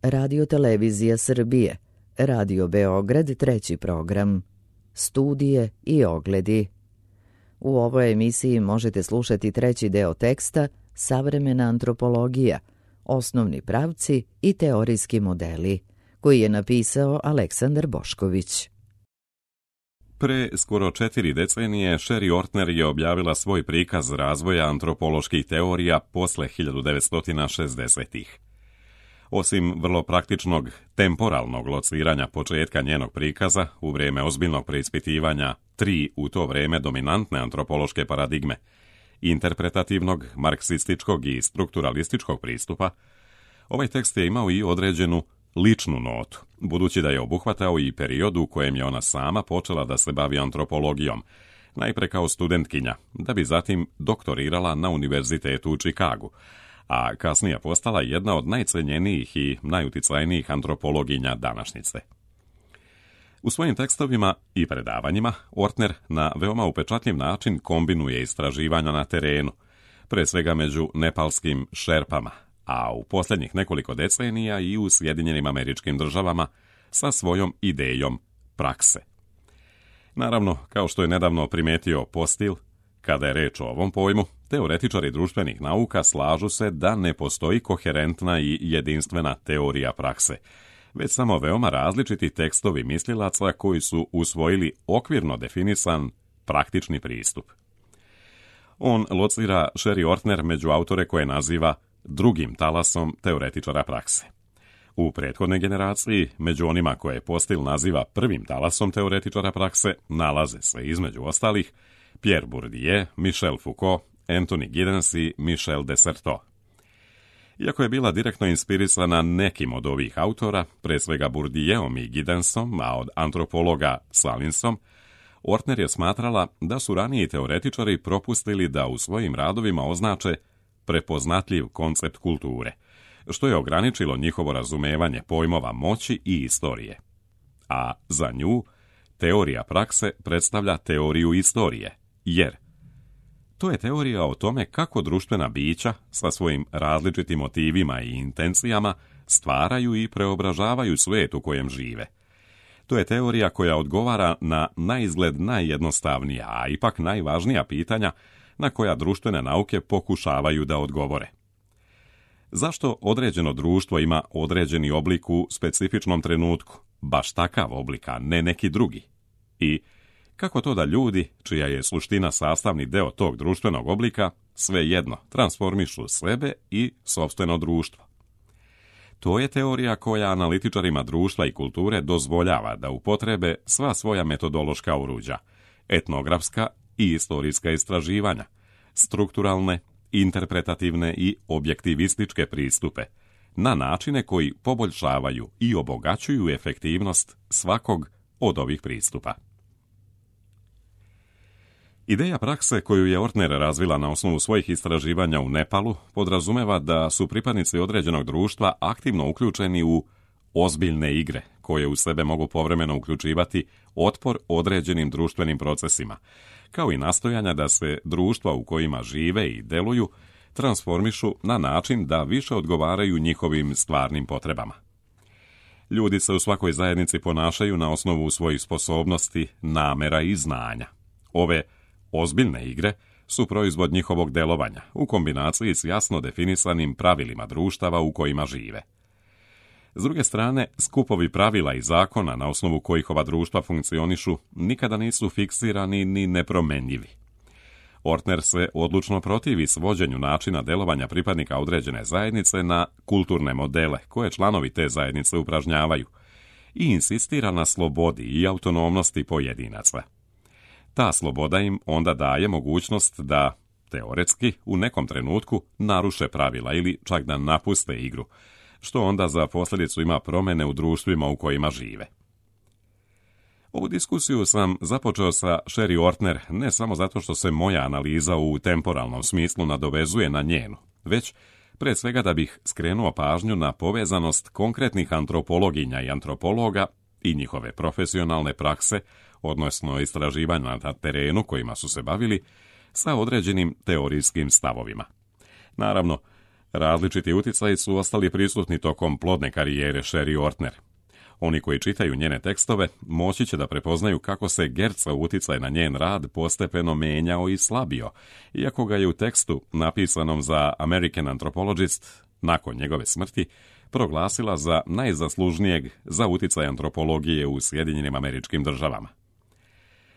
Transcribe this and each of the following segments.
Radio Televizija Srbije, Radio Beograd, treći program, studije i ogledi. U ovoj emisiji možete slušati treći deo teksta Savremena antropologija, osnovni pravci i teorijski modeli, koji je napisao Aleksandar Bošković. Pre skoro 4 decenije Sherry Ortner je objavila svoj prikaz razvoja antropoloških teorija posle 1960-ih. Osim vrlo praktičnog temporalnog lociranja početka njenog prikaza u vrijeme ozbiljnog preispitivanja 3 u to vrijeme dominantne antropološke paradigme, interpretativnog, marksističkog i strukturalističkog pristupa, ovaj tekst je imao i određenu ličnu notu, budući da je obuhvatao i period u kojem je ona sama počela da se bavi antropologijom, najpre kao studentkinja, da bi zatim doktorirala na univerzitetu u Čikagu, a kasnije postala jedna od najcenjenijih i najuticajnijih antropologinja današnjice. U svojim tekstovima i predavanjima Ortner na veoma upečatljiv način kombinuje istraživanja na terenu, pre svega među nepalskim šerpama, a u posljednjih nekoliko decenija i u Sjedinjenim Američkim Državama sa svojom idejom prakse. Naravno, kao što je nedavno primetio Postil, kada je reč o ovom pojmu, teoretičari društvenih nauka slažu se da ne postoji koherentna i jedinstvena teorija prakse, već samo veoma različiti tekstovi mislilaca koji su usvojili okvirno definisan praktični pristup. On locira Sherry Ortner među autore koje naziva drugim talasom teoretičara prakse. U prethodnoj generaciji, među onima koje Postil naziva prvim talasom teoretičara prakse, nalaze se između ostalih Pierre Bourdieu, Michel Foucault, Anthony Giddens i Michel Desserteau. Iako je bila direktno inspirisana nekim od ovih autora, pre svega Bourdieom i Giddensom, a od antropologa Salinsom, Ortner je smatrala da su raniji teoretičari propustili da u svojim radovima označe prepoznatljiv koncept kulture, što je ograničilo njihovo razumevanje pojmova moći i istorije. A za nju, teorija prakse predstavlja teoriju istorije, jer to je teorija o tome kako društvena bića sa svojim različitim motivima i intencijama stvaraju i preobražavaju svijet u kojem žive. To je teorija koja odgovara na naizgled najjednostavnija, a ipak najvažnija pitanja na koja društvene nauke pokušavaju da odgovore. Zašto određeno društvo ima određeni oblik u specifičnom trenutku, baš takav oblik, a ne neki drugi? I kako to da ljudi, čija je suština sastavni deo tog društvenog oblika, svejedno transformišu sebe i sopstveno društvo? To je teorija koja analitičarima društva i kulture dozvoljava da upotrebe sva svoja metodološka oruđa, etnografska i istorijska istraživanja, strukturalne, interpretativne i objektivističke pristupe, na načine koji poboljšavaju i obogaćuju efektivnost svakog od ovih pristupa. Ideja prakse koju je Ortner razvila na osnovu svojih istraživanja u Nepalu podrazumeva da su pripadnici određenog društva aktivno uključeni u ozbiljne igre, koje u sebe mogu povremeno uključivati otpor određenim društvenim procesima, kao i nastojanja da se društva u kojima žive i deluju transformišu na način da više odgovaraju njihovim stvarnim potrebama. Ljudi se u svakoj zajednici ponašaju na osnovu svojih sposobnosti, namera i znanja. Ove ozbiljne igre su proizvod njihovog delovanja u kombinaciji s jasno definisanim pravilima društava u kojima žive. S druge strane, skupovi pravila i zakona na osnovu kojih ova društva funkcionišu nikada nisu fiksirani ni nepromenljivi. Ortner se odlučno protivi svođenju načina delovanja pripadnika određene zajednice na kulturne modele koje članovi te zajednice upražnjavaju i insistira na slobodi i autonomnosti pojedinaca. Ta sloboda im onda daje mogućnost da, teoretski, u nekom trenutku naruše pravila ili čak da napuste igru, što onda za posljedicu ima promjene u društvima u kojima žive. Ovu diskusiju sam započeo sa Sherry Ortner ne samo zato što se moja analiza u temporalnom smislu nadovezuje na njenu, već pre svega da bih skrenuo pažnju na povezanost konkretnih antropologinja i antropologa i njihove profesionalne prakse, odnosno istraživanja na terenu kojima su se bavili, sa određenim teorijskim stavovima. Naravno, Različiti utjecaji su ostali prisutni tokom plodne karijere Sherry Ortner. Oni koji čitaju njene tekstove moći će da prepoznaju kako se Gertzov utjecaj na njen rad postepeno menjao i slabio, iako ga je u tekstu napisanom za American Anthropologist nakon njegove smrti proglasila za najzaslužnijeg za utjecaj antropologije u Sjedinjenim Američkim Državama.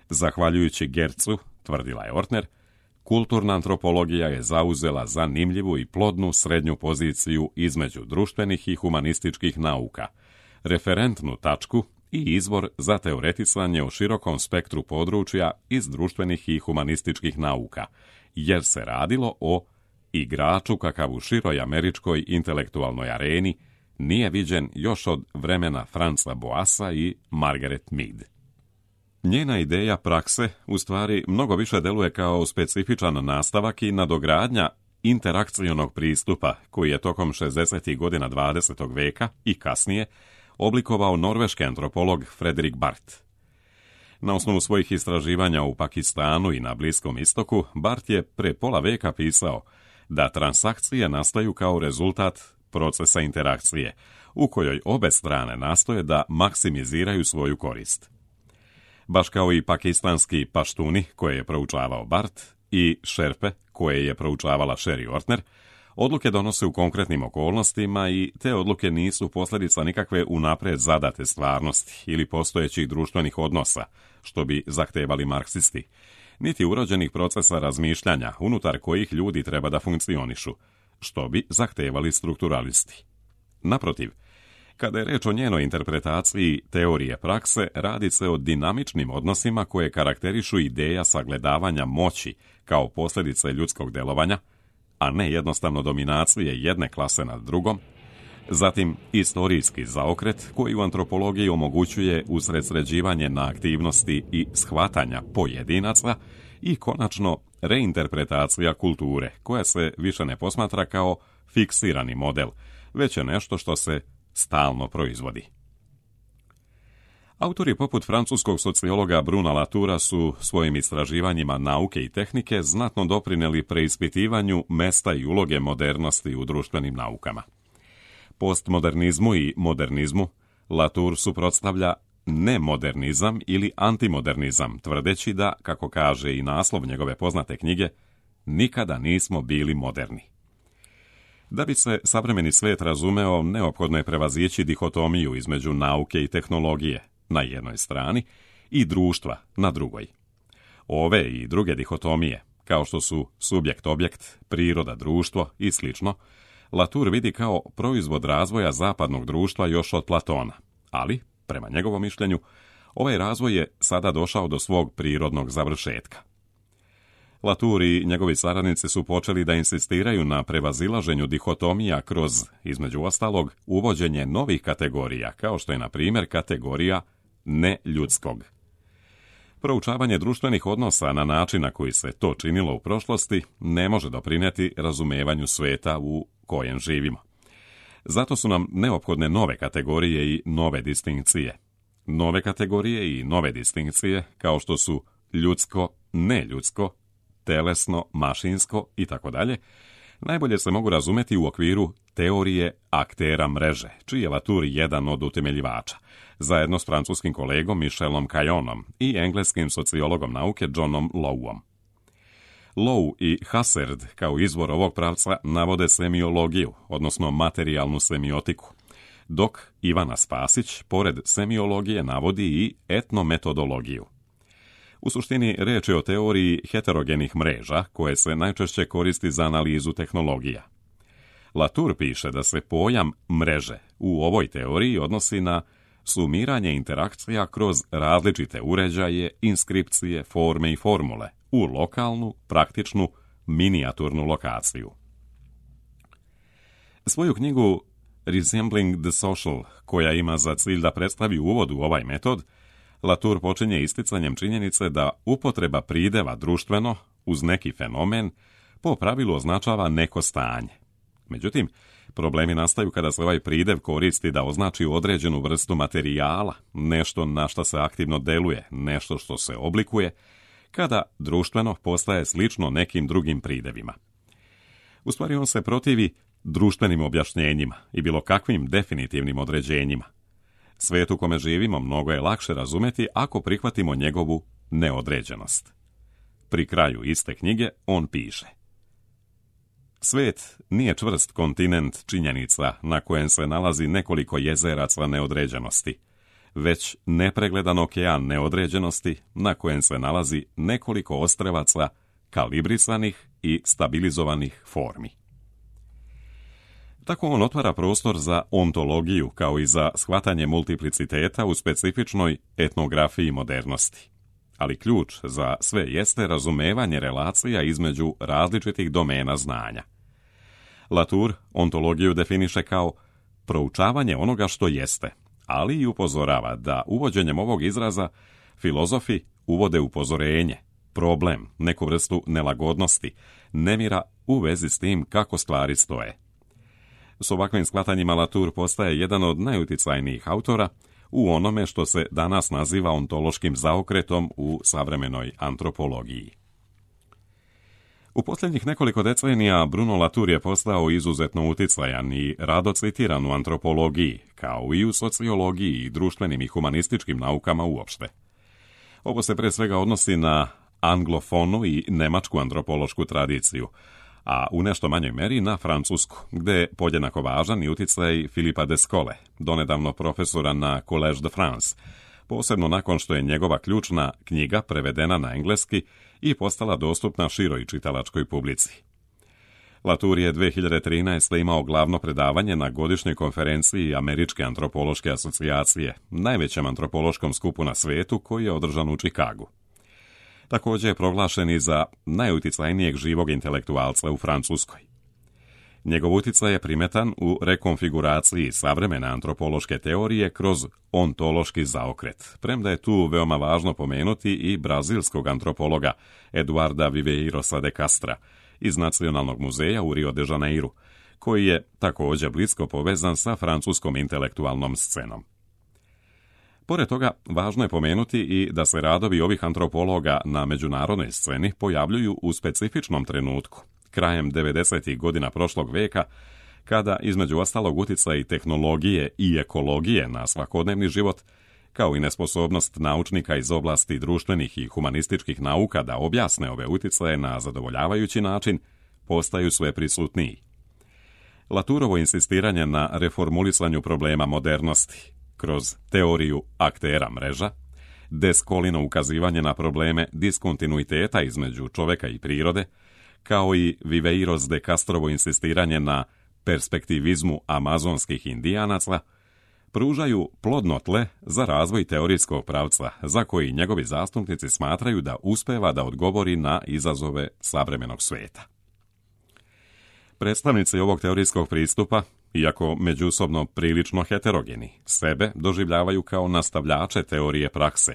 Zahvaljujući Gertzu, tvrdila je Ortner, kulturna antropologija je zauzela zanimljivu i plodnu srednju poziciju između društvenih i humanističkih nauka, referentnu tačku i izvor za teoretisanje o širokom spektru područja iz društvenih i humanističkih nauka, jer se radilo o igraču kakav u široj američkoj intelektualnoj areni nije viđen još od vremena Franza Boassa i Margaret Mead. Njena ideja prakse u stvari mnogo više deluje kao specifičan nastavak i nadogradnja interakcionog pristupa koji je tokom 60. godina 20. veka i kasnije oblikovao norveški antropolog Fredrik Barth. Na osnovu svojih istraživanja u Pakistanu i na Bliskom istoku, Barth je pre pola veka pisao da transakcije nastaju kao rezultat procesa interakcije, u kojoj obe strane nastoje da maksimiziraju svoju korist. Baš kao i pakistanski paštuni koje je proučavao Barth i šerpe koje je proučavala Sherry Ortner, odluke donose u konkretnim okolnostima i te odluke nisu posljedica nikakve unaprijed zadate stvarnosti ili postojećih društvenih odnosa, što bi zahtevali marksisti, niti urođenih procesa razmišljanja unutar kojih ljudi treba da funkcionišu, što bi zahtevali strukturalisti. Naprotiv, kada je reč o njenoj interpretaciji teorije prakse, radi se o dinamičnim odnosima koje karakterišu ideja sagledavanja moći kao posljedice ljudskog delovanja, a ne jednostavno dominacije jedne klase nad drugom, zatim istorijski zaokret koji u antropologiji omogućuje usredsređivanje na aktivnosti i shvatanja pojedinaca i konačno reinterpretacija kulture koja se više ne posmatra kao fiksirani model, već je nešto što se stalno proizvodi. Autori poput francuskog sociologa Bruna Latoura su svojim istraživanjima nauke i tehnike znatno doprineli preispitivanju mesta i uloge modernosti u društvenim naukama. Postmodernizmu i modernizmu Latour suprotstavlja nemodernizam ili antimodernizam, tvrdeći da, kako kaže i naslov njegove poznate knjige, nikada nismo bili moderni. Da bi se savremeni svijet razumeo, neophodno je prevazići dihotomiju između nauke i tehnologije na jednoj strani i društva na drugoj. Ove i druge dihotomije, kao što su subjekt-objekt, priroda, društvo i sl., Latour vidi kao proizvod razvoja zapadnog društva još od Platona, ali, prema njegovom mišljenju, ovaj razvoj je sada došao do svog prirodnog završetka. Latour i njegovi saradnici su počeli da insistiraju na prevazilaženju dihotomija kroz, između ostalog, uvođenje novih kategorija, kao što je, na primjer, kategorija neljudskog. Proučavanje društvenih odnosa na način na koji se to činilo u prošlosti ne može doprinijeti razumevanju sveta u kojem živimo. Zato su nam neophodne nove kategorije i nove distinkcije. Nove kategorije i nove distinkcije, kao što su ljudsko, neljudsko, telesno, mašinsko itd., najbolje se mogu razumeti u okviru teorije aktera mreže, čiji je Latour jedan od utemeljivača, zajedno s francuskim kolegom Michelom Caillonom i engleskim sociologom nauke Johnom Lowom. Low i Husserl kao izvor ovog pravca navode semiologiju, odnosno materijalnu semiotiku, dok Ivana Spasić, pored semiologije, navodi i etnometodologiju. U suštini reč je o teoriji heterogenih mreža koje se najčešće koristi za analizu tehnologija. Latour piše da se pojam mreže u ovoj teoriji odnosi na sumiranje interakcija kroz različite uređaje, inskripcije, forme i formule u lokalnu, praktičnu, minijaturnu lokaciju. Svoju knjigu Resembling the Social, koja ima za cilj da predstavi uvod u ovaj metod, Latour počinje isticanjem činjenice da upotreba prideva društveno uz neki fenomen po pravilu označava neko stanje. Međutim, problemi nastaju kada se ovaj pridev koristi da označi određenu vrstu materijala, nešto na što se aktivno deluje, nešto što se oblikuje, kada društveno postaje slično nekim drugim pridevima. U stvari on se protivi društvenim objašnjenjima i bilo kakvim definitivnim određenjima. Svijet u kome živimo mnogo je lakše razumjeti ako prihvatimo njegovu neodređenost. Pri kraju iste knjige on piše: svijet nije čvrst kontinent činjenica na kojem se nalazi nekoliko jezeraca neodređenosti, već nepregledan okean neodređenosti na kojem se nalazi nekoliko ostrvaca kalibrisanih i stabilizovanih formi. Tako on otvara prostor za ontologiju kao i za shvatanje multipliciteta u specifičnoj etnografiji modernosti. Ali ključ za sve jeste razumevanje relacija između različitih domena znanja. Latour ontologiju definiše kao proučavanje onoga što jeste, ali i upozorava da uvođenjem ovog izraza filozofi uvode upozorenje, problem, neku vrstu nelagodnosti, nemira u vezi s tim kako stvari stoje. S ovakvim shvatanjima Latour postaje jedan od najuticajnijih autora u onome što se danas naziva ontološkim zaokretom u savremenoj antropologiji. U posljednjih nekoliko decenija Bruno Latour je postao izuzetno uticajan i rado citiran u antropologiji, kao i u sociologiji i društvenim i humanističkim naukama uopšte. Ovo se pre svega odnosi na anglofonu i nemačku antropološku tradiciju, a u nešto manjoj meri na francusku, gde je podjednako važan i uticaj Philippa Descolle, donedavno profesora na Collège de France, posebno nakon što je njegova ključna knjiga prevedena na engleski i postala dostupna široj čitalačkoj publici. Latour je 2013. imao glavno predavanje na godišnjoj konferenciji Američke antropološke asocijacije, najvećem antropološkom skupu na svijetu koji je održan u Čikagu. Također je proglašen i za najuticajnijeg živog intelektualca u Francuskoj. Njegov uticaj je primetan u rekonfiguraciji savremene antropološke teorije kroz ontološki zaokret, premda je tu veoma važno pomenuti i brazilskog antropologa Eduarda Viveirosa de Castra iz Nacionalnog muzeja u Rio de Janeiru, koji je također blisko povezan sa francuskom intelektualnom scenom. Pored toga, važno je pomenuti i da se radovi ovih antropologa na međunarodnoj sceni pojavljuju u specifičnom trenutku, krajem 90. godina prošlog veka, kada između ostalog utjecaj tehnologije i ekologije na svakodnevni život, kao i nesposobnost naučnika iz oblasti društvenih i humanističkih nauka da objasne ove utjecaje na zadovoljavajući način, postaju sve prisutniji. Latourovo insistiranje na reformulisanju problema modernosti kroz teoriju aktera mreža, Descollino ukazivanje na probleme diskontinuiteta između čoveka i prirode, kao i Viveiros de Castrovo insistiranje na perspektivizmu amazonskih indijanaca, pružaju plodno tle za razvoj teorijskog pravca, za koji njegovi zastupnici smatraju da uspeva da odgovori na izazove savremenog svijeta. Predstavnici ovog teorijskog pristupa, iako međusobno prilično heterogeni, sebe doživljavaju kao nastavljače teorije prakse,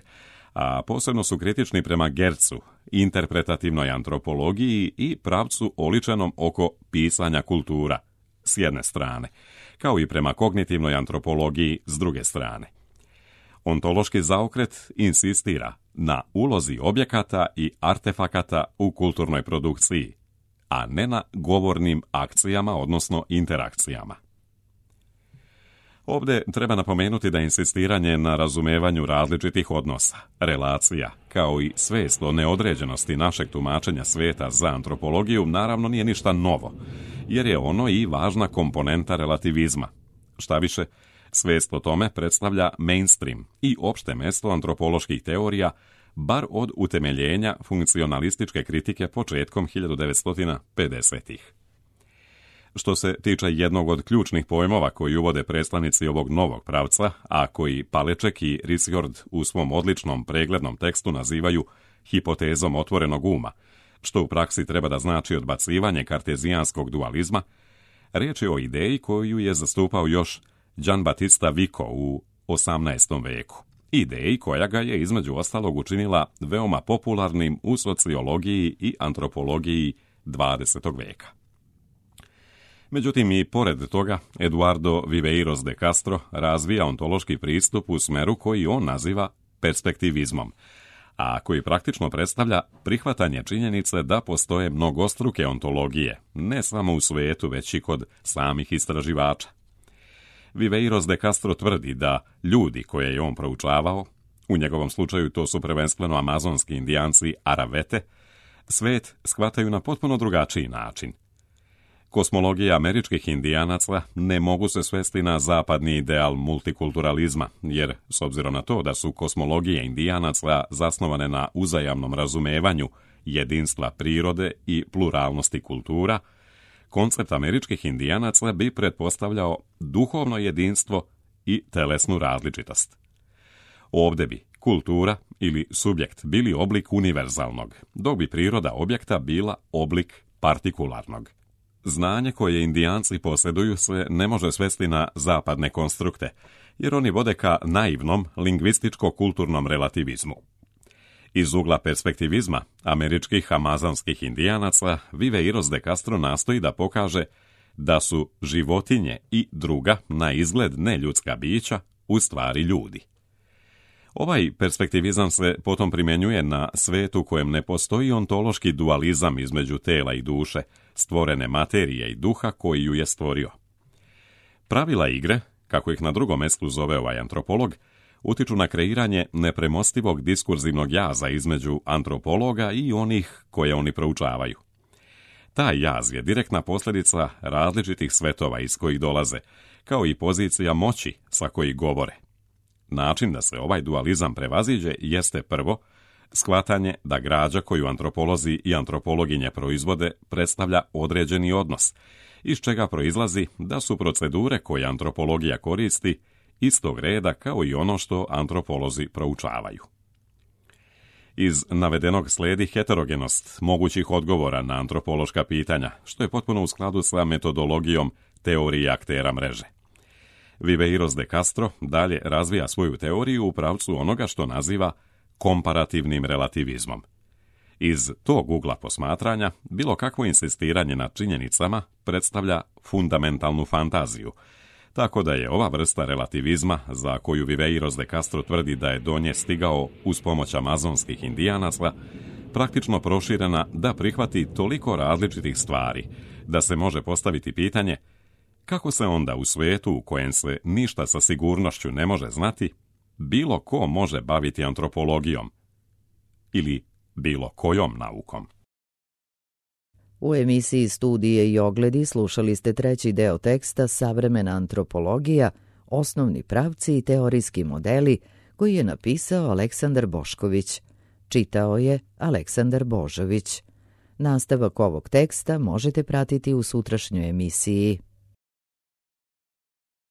a posebno su kritični prema Gercu, interpretativnoj antropologiji i pravcu oličenom oko pisanja kultura, s jedne strane, kao i prema kognitivnoj antropologiji s druge strane. Ontološki zaokret insistira na ulozi objekata i artefakata u kulturnoj produkciji, a ne na govornim akcijama, odnosno interakcijama. Ovdje treba napomenuti da insistiranje na razumevanju različitih odnosa, relacija, kao i svijest o neodređenosti našeg tumačenja svijeta za antropologiju naravno nije ništa novo, jer je ono i važna komponenta relativizma. Štaviše, svijest o tome predstavlja mainstream i opšte mesto antropoloških teorija, bar od utemeljenja funkcionalističke kritike početkom 1950-ih. Što se tiče jednog od ključnih pojmova koji uvode predstavnici ovog novog pravca, a koji Paleček i Risjord u svom odličnom preglednom tekstu nazivaju hipotezom otvorenog uma, što u praksi treba da znači odbacivanje kartezijanskog dualizma, riječ je o ideji koju je zastupao još Gian Battista Vico u 18. veku. Ideji koja ga je između ostalog učinila veoma popularnim u sociologiji i antropologiji 20. veka. Međutim, i pored toga, Eduardo Viveiros de Castro razvija ontološki pristup u smeru koji on naziva perspektivizmom, a koji praktično predstavlja prihvatanje činjenice da postoje mnogostruke ontologije, ne samo u svijetu, već i kod samih istraživača. Viveiros de Castro tvrdi da ljudi koje je on proučavao, u njegovom slučaju to su prvenstveno amazonski indijanci Aravete, svet shvataju na potpuno drugačiji način. Kosmologija američkih indijanaca ne mogu se svesti na zapadni ideal multikulturalizma, jer, s obzirom na to da su kosmologije indijanaca zasnovane na uzajamnom razumevanju jedinstva prirode i pluralnosti kultura, koncept američkih indijanaca bi pretpostavljao duhovno jedinstvo i telesnu različitost. Ovdje bi kultura ili subjekt bili oblik univerzalnog, dok bi priroda objekta bila oblik partikularnog. Znanje koje indijanci posjeduju se ne može svesti na zapadne konstrukte, jer oni vode ka naivnom lingvističko-kulturnom relativizmu. Iz ugla perspektivizma američkih amazonskih indijanaca, Viveiros de Castro nastoji da pokaže da su životinje i druga, na izgled neljudska bića, u stvari ljudi. Ovaj perspektivizam se potom primjenjuje na svijet u kojem ne postoji ontološki dualizam između tela i duše, stvorene materije i duha koji ju je stvorio. Pravila igre, kako ih na drugom mjestu zove ovaj antropolog, utiču na kreiranje nepremostivog diskurzivnog jaza između antropologa i onih koje oni proučavaju. Taj jaz je direktna posljedica različitih svetova iz kojih dolaze, kao i pozicija moći sa kojih govore. Način da se ovaj dualizam prevaziđe jeste prvo, shvatanje da građa koju antropolozi i antropologinje proizvode predstavlja određeni odnos, iz čega proizlazi da su procedure koje antropologija koristi istog reda kao i ono što antropolozi proučavaju. Iz navedenog slijedi heterogenost mogućih odgovora na antropološka pitanja, što je potpuno u skladu sa metodologijom teorije aktera mreže. Viveiros de Castro dalje razvija svoju teoriju u pravcu onoga što naziva komparativnim relativizmom. Iz tog ugla posmatranja, bilo kakvo insistiranje na činjenicama predstavlja fundamentalnu fantaziju, tako da je ova vrsta relativizma, za koju Viveiros de Castro tvrdi da je do nje stigao uz pomoć amazonskih indijanaca, praktično proširena da prihvati toliko različitih stvari, da se može postaviti pitanje kako se onda u svijetu u kojem se ništa sa sigurnošću ne može znati, bilo ko može baviti antropologijom ili bilo kojom naukom. U emisiji Studije i ogledi slušali ste treći deo teksta Savremena antropologija, osnovni pravci i teorijski modeli, koji je napisao Aleksandar Bošković. Čitao je Aleksandar Božović. Nastavak ovog teksta možete pratiti u sutrašnjoj emisiji.